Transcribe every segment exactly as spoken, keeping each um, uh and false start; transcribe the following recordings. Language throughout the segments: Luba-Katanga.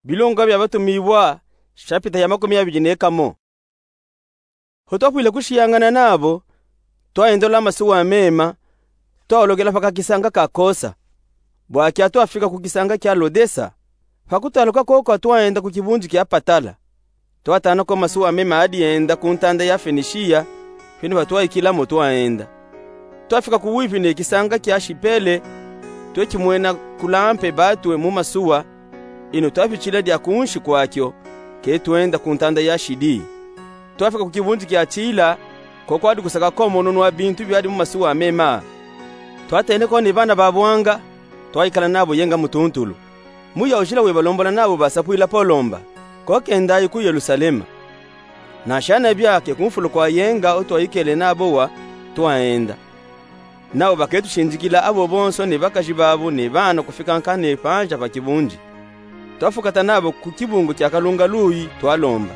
Bilongwa bia Batumibwa, shapita ya makumi abidi ne kamo. Ho twafwile kushiyangana nabo, twayendola masuwa mema, twalokela pa kakisanga ka Kosa. Bwakia twafika ku kisanga kia Lodesa. Pa kutaluka koko twayenda ku kibundi kia Patala. Twatana ko masuwa mema adi enda ku ntanda ya Fenishiya, feni pa twayikila mo twayenda. Twafika ku wipi ne kisanga kia Shipele, tweti mwena kulampe batwe mu masuwa, ino twafitila dia kunshi kwakio, ke twenda ku ntanda ya Shidi. Twafika ku kibundi kia Tila, ko kwadi kusaka ko mononu wa bintu biadi mu masuwa mema. Twatene ko ni bana ba bwanga, twayikala nabo yenga mu tuntulu. Muya ujila webalombola nabo basapwila Polo mba, ko kendayi ku Yelusalema. Na shana biake ku mfulu kwa yenga otwayikele nabo wa, twayenda. Nabo baketushindikila abo bonso ni bakaji babo ni bana kufika nkane panja pa kibundi. Twafukata nabo ku kibungu kia Kalunga Luyi twalomba.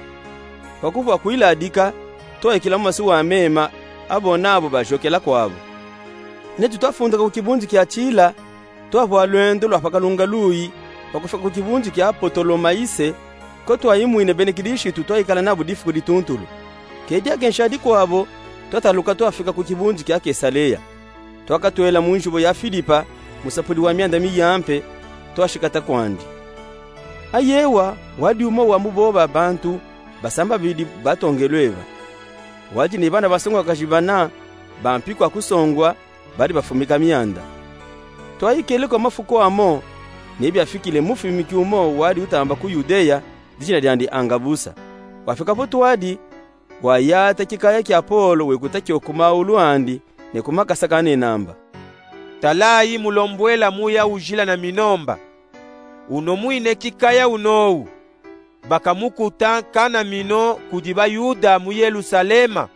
Pa kufwa kwiladika, twayikila mu masuwa mema, abo nabo bajokela kwabo. Netu twafunduka ku kibundi kia Tila, twafwa lwendo lwa pa Kalunga Luyi, pa kufika ku kibundi kia Potolomayise, ko twayimwine bene Kilishitu twayikala nabo difuku dituntulu. Ke diake nshadi kwabo, twataluka twafika ku kibundi kia Kesaleya. Twakatwela mu njibo ya Filipa, musapudi wa mianda miyampe, twashikata kwandi. Ayewa, wadi umo wa mu boba bantu basambabidi batongelwe ba. Wadi ni bana basongwakaji bana, ba mpi kwa kusongwa, badi bafumika mianda. Twayikele ko mafuku amo, ni biafikile mufimiki umo wadi utamba ku Yudeya, dijina diandi Angabusa. Wafika po twadi, wayata kikaya kia Polo wekuta kio ku maulu andi, ne ku makasa kanena mba: Talayi mulombwela muya ujila na mino mba. Uno mwine kikaya unowu, bakamukuta nkana mino kudi Bayuda mu Yelusalema,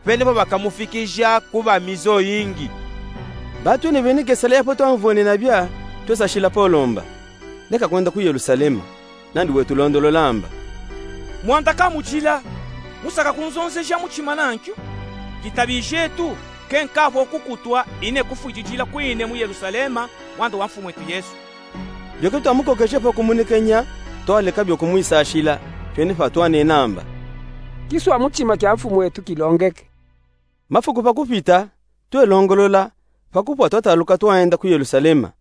feni po bakamufikija ku bamizoyingi. Batwene bene Kesaleya po twamvwene nabia, twesashila Polo mba: Leka kwenda ku Yelusalema, nandi wetulondolola mba. Mwanda kamujila, musaka kunzonzeja mutima nankyo. Ditabi dietu, ke nkafwa kukutwa ine kufwididila kwine mu Yelusalema, mwanda wa Mfumwetu Yesu. Bio ke twamukokeje po kumunekenya, twaleka bio kumwisashila, feni pa twanena mba: Kiswa mutima kia Mfumwetu kilongeke. Mafuku pa kupita, twelongolola, pa kufwa twataluka twayenda ku Yelusalema.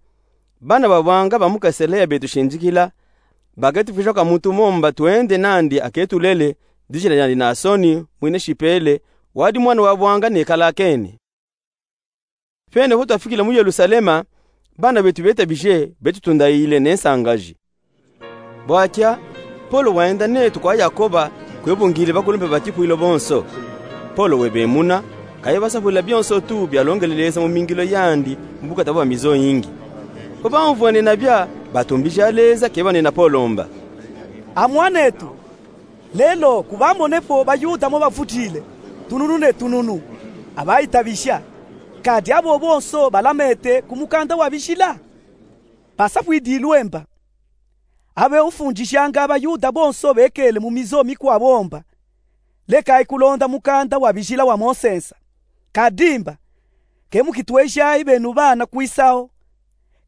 Bana ba bwanga ba mu Kesaleya betushindikila, baketufwija kwa muntu mo mba twende nandi aketulele, dijina diandi Nasoni, mwine Shipele, wadi mwana wa bwanga nekala akeni. Feni po twafikile mu Yelusalema, bana betu betabije, betutundayile ne nsangaji. Bwakia, Polo wayenda netu kwa Yakoba, kwe bungile bakulumpe ba kipwilo bonso. Polo webemuna, kaye basapwila bionso tu bialongele Leza mu mingilo yandi, mu bukata bwa mizoyingi. Po bamvwene nabia, batumbija Leza ke banena Polo mba: Amwan'etu, lelo kubamone po Bayuda mo bavudile, tununu ne tununu, abayitabija, kadi abo bonso balamete ku mukanda wa bijila? Basapwidilwe mba: Abe ufundijanga Abayuda bonso bekele mu mizo mikwabo mba: Lekayi kulonda mukanda wa bijila wa Mose nsa. Kadi mba: Ke mukitwejayi benu bana kwisaho.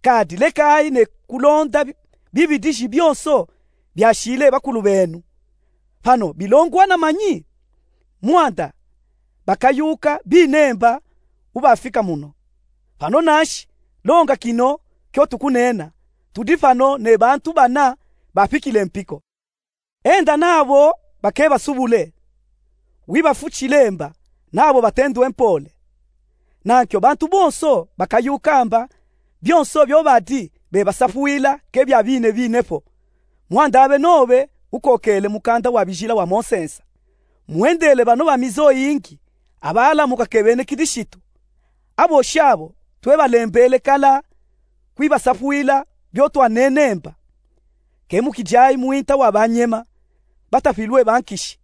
Kadi lekayi ne kulonda bi-, bibidiji bionso biashile bakulu benu. Pano bilongwana manyi? Mwanda bakayuka bine mba ubafika muno. Pano nanshi, longa kino kyo tukunena, tudi pano ne bantu bana bapikile mpiko. Enda nabo bakebasubule. Wibafutshile mba nabo batendwe mpole. Nankyo bantu bonso bakayuka mba bionso bio badi bebasapwila ke bia bine bine po. Mwanda abe nobe ukokele mukanda wa bijila wa Mose nsa. Mwendele bano ba mizo yingi abalamuka ke bene Kilishitu. Abo shabo twebalembele kala kwibasapwila bio twanene mba. Ke mukijayi mwinta wa banyema batapilwe bankishi,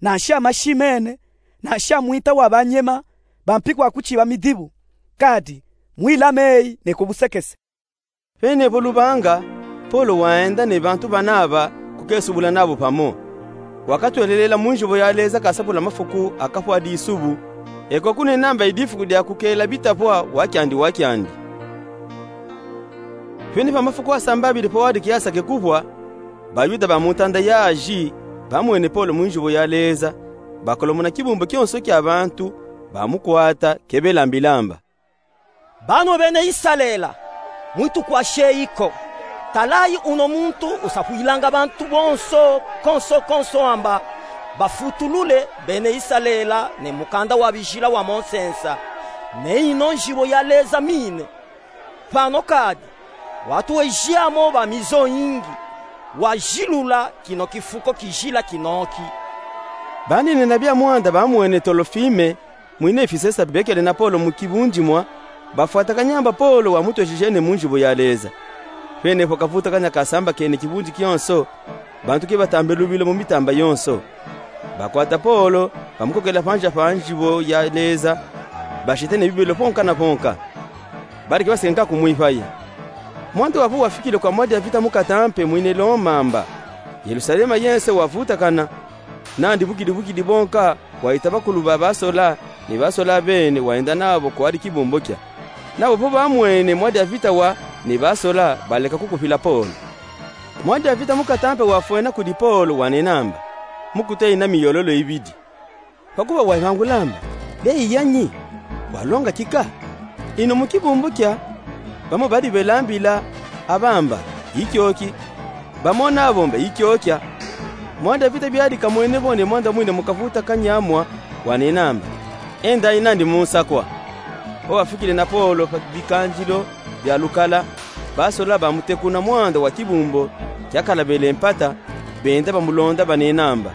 nanshi amashi mene, nanshi amwinta wa banyema bampi kwa kuchiba midibu, kadi mwilameyi ne ku busekese. Pene po lubanga, Polo waenda ne bantu banaba kukesubula nabo pamo. Wakatwelelela mu njibo ya Leza kasapula mafuku akafwa disubu, eko kunenamba idifuku dia kukela bitapwa wakiandi wakiandi. Pene pa mafuku asambabidi po wadi kiasa ke kupwa, Bayuda ba mu ntanda ya Azi bamwene Polo mu nzibo ya Leza, bakolomona kibumbu kionso kia bantu, bamukwata, ke belambilamba: Banwe bena Isalele, mwitukwasheyi ko. Talayi, uno muntu usafwilanga bantu bonso konso konso amba bafutulule bena Isalele ne mukanda wa bizila wa Mosesa, ne ino nzibo ya Leza mine. Pano kadi, watuweji amo ba mizo yingi, wazilula kino kifuko kijila kinoki. Banene na bia mwanda bamwene Tolofime mwina Efisesa bekele na Polo mu kibundimwa, bafwatakanya amba Polo wamutwejejene mu nzibo ya Leza. Pene po kavutakanya kasambakene kibundi kionso, bantu ke batambe lubilo mu mitamba yonso. Bakwata Polo, bamukokela panza pa nzibo ya Leza, bashete ne bibelo ponka na ponka. Badi ke baseka nka kumwipaya. Mwanda wawu wafikile kwa mwadia vita mukatampe mwine Loma amba Yelusalema yense wavutakana, nandi bukidi bukidi bonka wahita bakulu ba basola, ni basola bene wayenda nabo kwadi kibumbu kia. Nabo po bamwene mwadia vita wa ni basola, baleka kukupila Polo. Mwadia vita mukatampe wafwena kudi Polo wanena amba: Mukuta ina miyololo ibidi. Pakuba wayibangula amba: Beyi yanyi? Walonga kika? Ino mu kibumbu kia, bamo badi belambila, abamba: Ikioki. Bamo nabo mba: Ikiokia. Mwadia vita biadi kamwene bo ne mwanda mwina mu kavutakanya mwa, wanena amba: Endayi nandi mu nsakwa. Po bafikile na Polo pa bikandilo bia lukala, basola bamutekuna mwanda wa kibumbu kiakala bele mpata, benda bamulonda banena amba: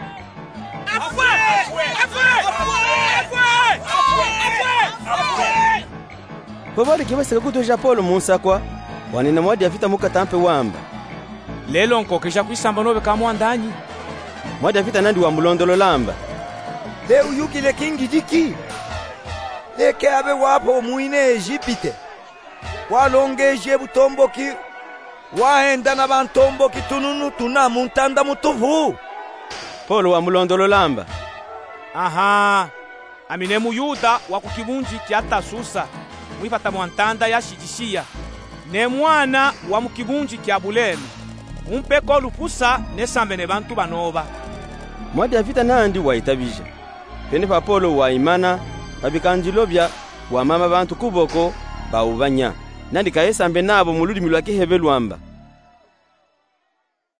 Po badi ke baseka kutweja Polo mu nsakwa, wanena mwadia vita mukatampe wamba: Lelo nkokeja kwisamba nobe ka mwandanyi? Mwadia vita nandi wamulondolola amba: Te uyukile kingidiki? Leke abe wapo mwine Ezipite, walongeje butomboki, wahenda na bantomboki tununu tuna mu ntanda mutupu. Polo wamulondolola amba: Aha, ami ne Muyuda wa ku kibundi kia Tasusa, mwipata mwa ntanda ya Silisiya, ne mwana wa mu kibundi kia Bulene. Umpe ko lupusa nesambe ne bantu banoba. Mwadia vita nandi wayitabija. Pene pa Polo wayimana, pa bikandilo bia, wamama bantu kuboko, bawubanya. Nandi kayesambe nabo mu ludimi lwa Kihebelu amba: